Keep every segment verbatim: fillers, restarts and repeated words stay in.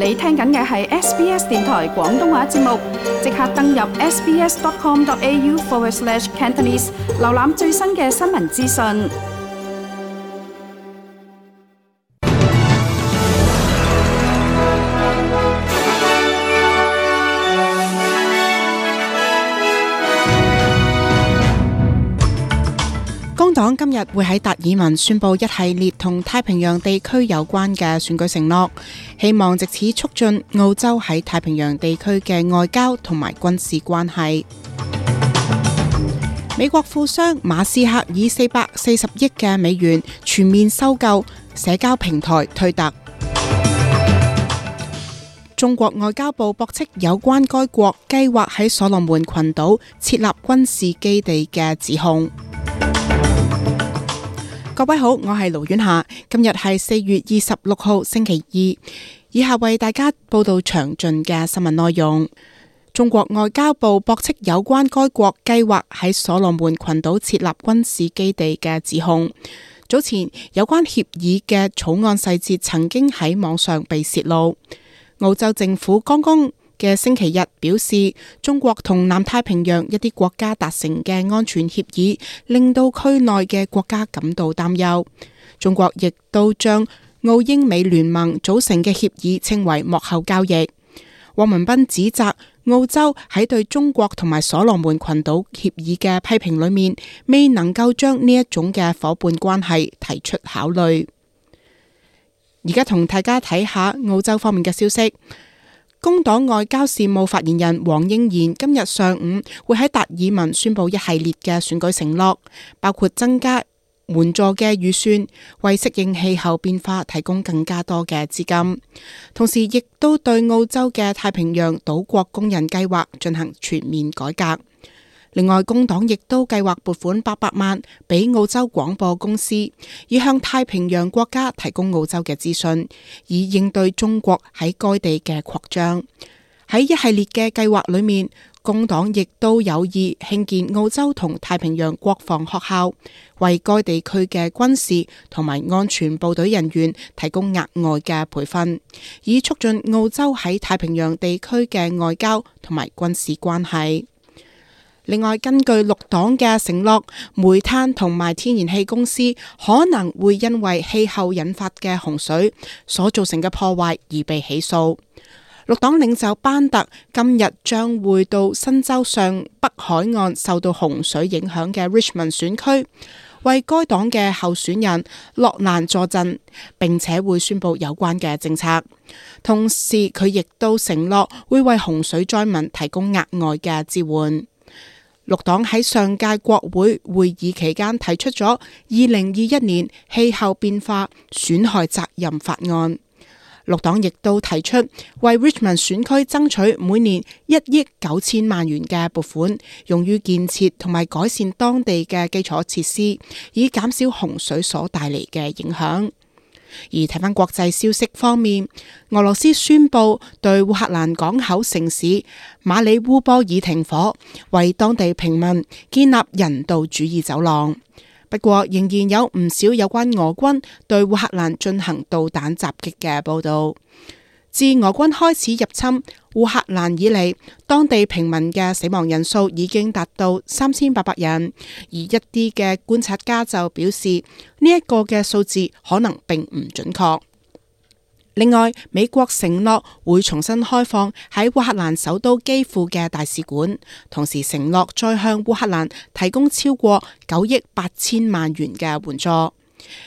你聽緊嘅係 S B S 電台廣東話節目，即刻登入 sbs.com.au forward slash Cantonese， 瀏覽最新嘅新聞資訊。工黨今日會喺達爾文宣布一系列同太平洋地區有關嘅選舉承諾，希望藉此促進澳洲喺太平洋地區嘅外交同埋軍事關係。美國富商馬斯克以四百四十億嘅美元全面收購社交平台推特。中國外交部駁斥有關該國計劃喺所羅門群島設立軍事基地嘅指控。各位好，我係盧婉霞，今日係四月二十六號星期二，以下為大家報道詳盡嘅新聞內容。中國外交部駁斥有關該國計劃喺所羅門群島設立軍事基地嘅指控。早前有關協議嘅草案細節曾經喺網上被泄露。澳洲政府剛剛嘅星期日表示，中國同南太平洋一啲國家達成嘅安全協議，令到區內嘅國家感到擔憂。中國亦都將澳英美聯盟組成嘅協議稱為幕後交易。汪文斌指責澳洲喺對中國同埋所羅門群島協議嘅批評裏面，未能夠將呢一種嘅夥伴關係提出考慮。而家同大家睇下澳洲方面嘅消息。工黨外交事務發言人黃英賢今日上午會喺達爾文宣布一系列嘅選舉承諾，包括增加援助嘅預算，為適應氣候變化提供更加多嘅資金，同時亦都對澳洲嘅太平洋島國工人計劃進行全面改革。另外，工黨亦都計劃撥款八百萬俾澳洲廣播公司，以向太平洋國家提供澳洲嘅資訊，以應對中國喺該地嘅擴張。喺一系列嘅計劃裏面，工黨亦都有意興建澳洲同太平洋國防學校，為該地區嘅軍事同埋安全部隊人員提供額外嘅培訓，以促進澳洲喺太平洋地區嘅外交同埋軍事關係。另外，根據綠黨嘅承諾，煤炭同埋天然氣公司可能會因為氣候引發嘅洪水所造成嘅破壞而被起訴。綠黨領袖班特今日將會到新州上北海岸受到洪水影響嘅 Richmond 選區，為該黨嘅候選人洛蘭助陣，並且會宣布有關嘅政策。同時，佢亦都承諾會為洪水災民提供額外嘅支援。綠黨喺上屆國會會議期間提出咗二零二一年氣候變化損害責任法案。綠黨亦都提出為 Richmond 選區爭取每年一億九千萬元嘅撥款，用於建設同埋改善當地嘅基礎設施，以減少洪水所帶嚟嘅影響。而睇返國際消息方面，俄羅斯宣布對烏克蘭港口城市馬里烏波爾停火，為當地平民建立人道主義走廊。不過，仍然有唔少有關俄軍對烏克蘭進行導彈襲擊嘅報道。自俄軍開始入侵烏克蘭以嚟，當地平民嘅死亡人數已經達到三千八百人，而一啲嘅觀察家就表示呢一個嘅數字可能並唔準確。另外，美國承諾會重新開放喺烏克蘭首都基輔嘅大使館，同時承諾再向烏克蘭提供超過九億八千萬元嘅援助。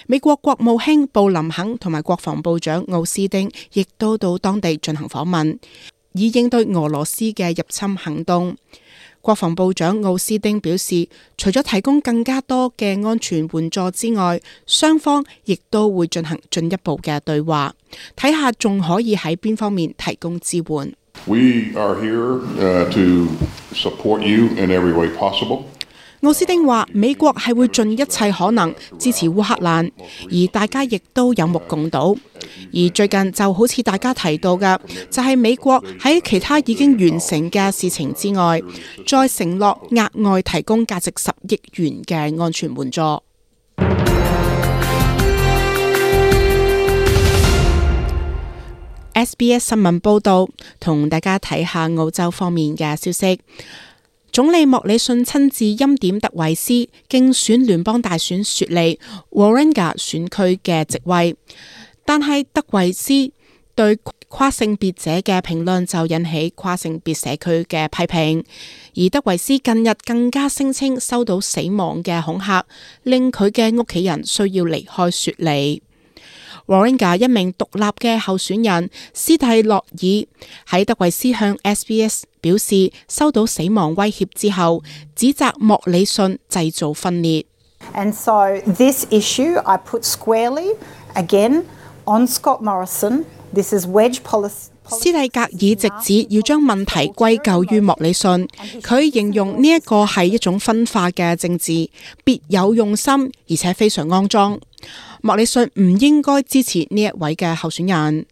美國國務卿布林肯同埋國防部長奧斯丁亦都到當地進行訪問，以應對俄羅斯嘅入侵行動。國防部長奧斯丁表示，除咗提供更加多嘅安全援助之外，雙方亦都會進行進一步嘅對話，睇下仲可以喺邊方面提供支援。We are here, uh, to support you in every way possible. 奧斯丁話：美國係會盡一切可能支持烏克蘭，而大家亦都有目共睹。而最近就好似大家提到嘅，就係美國喺其他已經完成嘅事情之外，再承諾額外提供價值十億元嘅安全援助。S B S 新聞報道，同大家睇下澳洲方面嘅消息。總理莫里遜親自欽點特維斯競選聯邦大選雪梨 Warringah 選區嘅席位，但係特維斯對跨性別者嘅評論就引起跨性別社區嘅批評，而德維斯近日更加聲稱收到死亡嘅恐嚇，令佢嘅屋企人需要離開雪梨。Warringah 一名獨立嘅候選人斯蒂洛爾喺德維斯向 S B S 表示收到死亡威脅之後，指責莫里遜製造分裂。And so this issue I put squarely again on Scott Morrison. This is wedge policy. 斯蒂格爾直指要將問題歸咎於莫里遜，佢形容呢一個係一種分化嘅政治，別有用心，而且非常骯髒。莫里遜唔應該支持呢一位嘅候選人。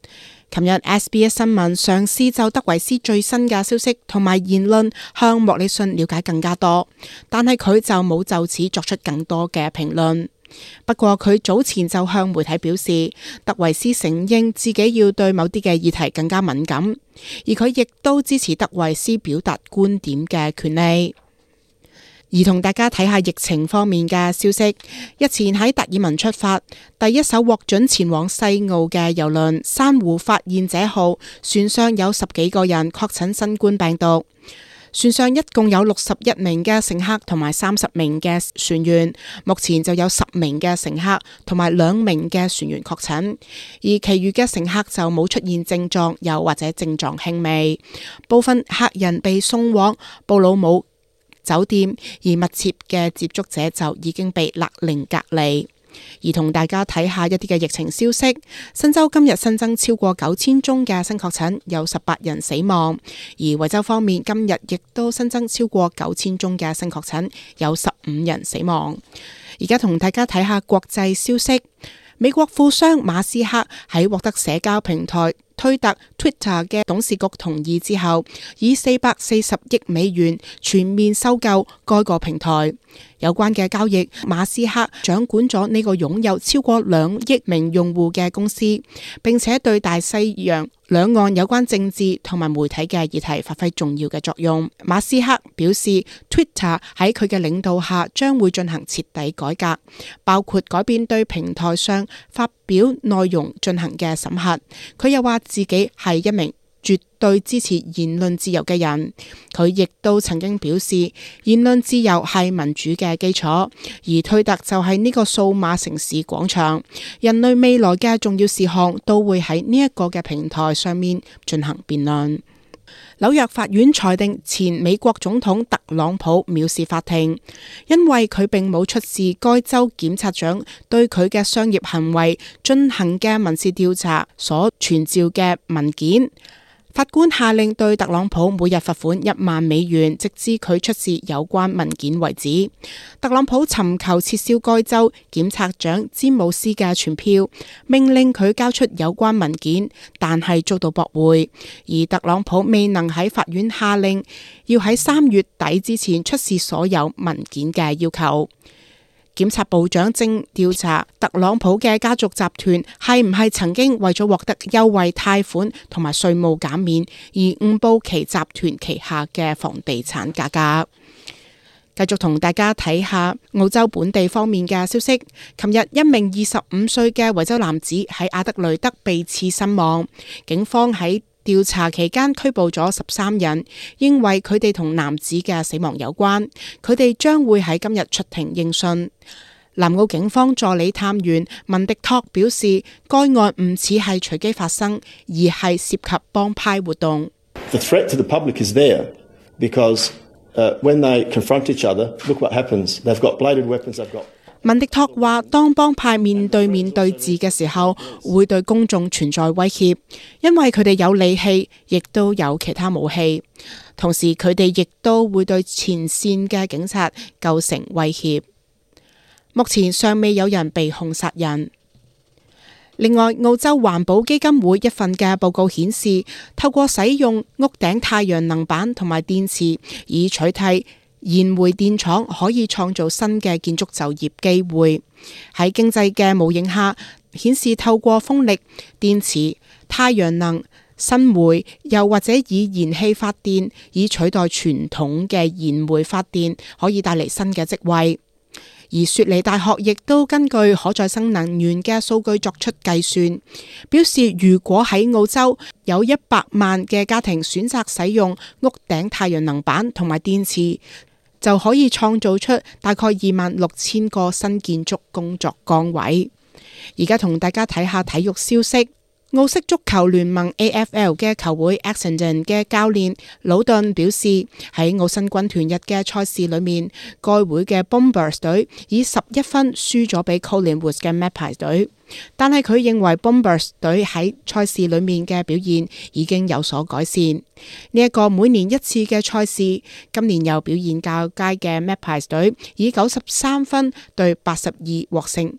琴日 S B S 新聞嘗試就德維斯最新嘅消息同埋言論向莫里遜了解更加多，但係佢就冇就此作出更多嘅評論。不過佢早前就向媒體表示，德維斯承認自己要對某啲嘅議題更加敏感，而佢亦都支持德維斯表達觀點嘅權利。而同大家睇下疫情方面嘅消息，日前喺達爾文出發，第一艘獲准前往西澳嘅郵輪珊瑚發現者號船上有十幾個人確診新冠病毒。船上一共有六十一名嘅乘客同埋三十名嘅船員，目前就有十名嘅乘客同埋兩名嘅船員確診，而其餘嘅乘客就冇出現症狀，又或者症狀輕微。部分客人被送往布魯姆酒店，而密切嘅接觸者就已經被勒令隔離。而同大家睇下一啲嘅疫情消息，新州今日新增超過九千宗嘅新確診，有十八人死亡。而維州方面今日亦都新增超過九千宗嘅新確診，有十五人死亡。而家同大家睇下國際消息，美國富商馬斯克喺獲得社交平台推特 Twitter 嘅董事局同意之後，以四百四十億美元全面收購該個平台。有關嘅交易，馬斯克掌管咗呢個擁有超過兩億名用戶嘅公司，並且對大西洋兩岸有關政治同埋媒體嘅議題發揮重要嘅作用。馬斯克表示 Twitter 喺佢嘅領導下將會進行徹底改革，包括改變對平台上發表內容進行嘅審核。佢又話自己係一名絕對支持言論自由嘅人，佢亦都曾經表示言論自由係民主嘅基礎，而推特就係呢個數碼城市廣場，人類未來嘅重要事項都會喺呢一個嘅平台上面進行辯論。紐約法院裁定前美國總統特朗普藐視法庭，因為佢並冇出示該州檢察長對佢嘅商業行為進行嘅民事調查所傳召嘅文件。法官下令對特朗普每日罰款一萬美元，直至佢出示有關文件為止。特朗普尋求撤銷該州檢察長詹姆斯嘅傳票，命令佢交出有關文件，但係遭到駁回。而特朗普未能喺法院下令要喺三月底之前出示所有文件嘅要求。檢察部長正調查特朗普嘅家族集團係唔係曾經為咗獲得優惠貸款同埋稅務減免而誤報其集團旗下嘅房地產價格。繼續同大家睇下澳洲本地方面嘅消息。琴日一名二十五歲嘅維州男子喺阿德雷德被刺身亡，警方喺調查期間拘捕咗十三人，認為佢哋同男子嘅死亡有關。佢哋將會喺今日出庭應訊。南澳警方助理探員文迪托表示，該案唔似係隨機發生，而係涉及幫派活動。The threat to the public is there because uh, when they confront each other, look what happens. They've got bladed weapons, they've got文迪托話，當幫派面對面對峙嘅時候，會對公眾存在威脅，因為佢哋有利器，亦都有其他武器。同時，佢哋亦都會對前線嘅警察構成威脅。目前尚未有人被控殺人。另外，澳洲環保基金會一份嘅報告顯示，透過使用屋頂太陽能板同埋電池以取替燃煤電廠，可以創造新嘅建築就業機會。喺經濟嘅模型下，顯示透過風力、電池、太陽能、新煤又或者以燃氣發電，以取代傳統嘅燃煤發電，可以帶嚟新嘅職位。而雪梨大學亦都根據可再生能源嘅數據作出計算，表示如果喺澳洲有一百萬嘅家庭選擇使用屋頂太陽能板同埋電池，就可以創造出大概二萬六千個新建築工作崗位。而家同大家睇下體育消息。澳式足球聯盟 A F L 嘅球會 Essendon 嘅教練魯頓表示，喺澳新軍團日嘅賽事裏面，該會嘅 Bombers 隊以十一分輸咗俾 Collingwood 嘅 Magpies 隊，但係佢認為 Bombers 隊喺賽事裏面嘅表現已經有所改善。呢、這、一個每年一次嘅賽事，今年又表現較佳嘅 Magpies 隊以九十三分對八十二獲勝。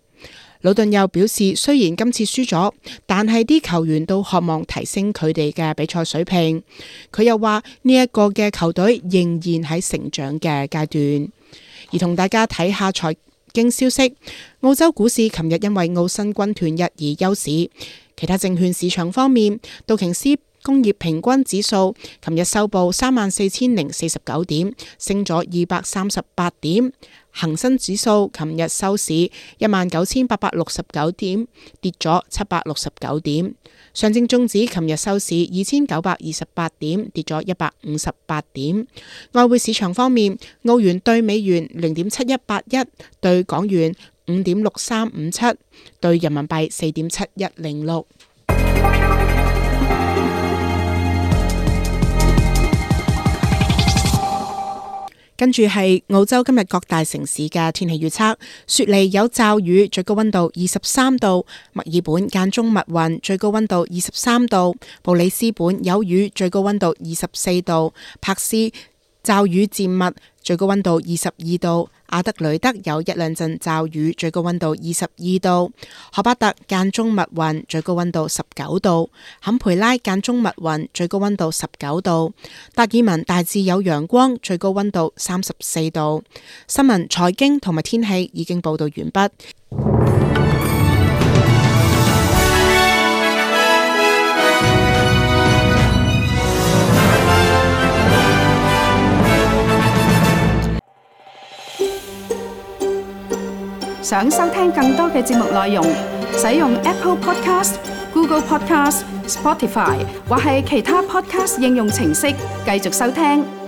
魯頓又表示，雖然今次輸咗，但係啲球員都渴望提升佢哋嘅比賽水平。佢又話呢一個嘅球隊仍然喺成長嘅階段。而同大家睇下財經消息，澳洲股市琴日因為澳新軍團日而休市。其他證券市場方面，道瓊斯工業平均指數琴日收報三萬四千零四十九點，升咗二百三十八點。恒生指數琴日收市一萬九千八百六十九點，跌咗七百六十九點。上證綜指琴日收市二千九百二十八點，跌咗一百五十八點。外匯市場方面，澳元兌美元零點七一八一，兌港元五點六三五七，兌人民幣四點七一零六。跟住係澳洲今日各大城市嘅天氣預測：雪梨有驟雨，最高溫度二十三度；墨爾本間中密雲，最高溫度二十三度；布里斯本有雨，最高溫度二十四度；柏斯驟雨漸密，最高溫度二十二度；阿德雷德有一兩陣驟雨，最高溫度二十二度；荷巴特間中密雲，最高溫度十九度；坎培拉間中密雲，最高溫度十九度；達爾文大致有陽光，最高溫度三十四度。新聞、財經同埋天氣已經報道完畢。想收聽更多嘅節目內容，使用 Apple Podcast、Google Podcast、Spotify 或係其他 Podcast 應用程式繼續收聽。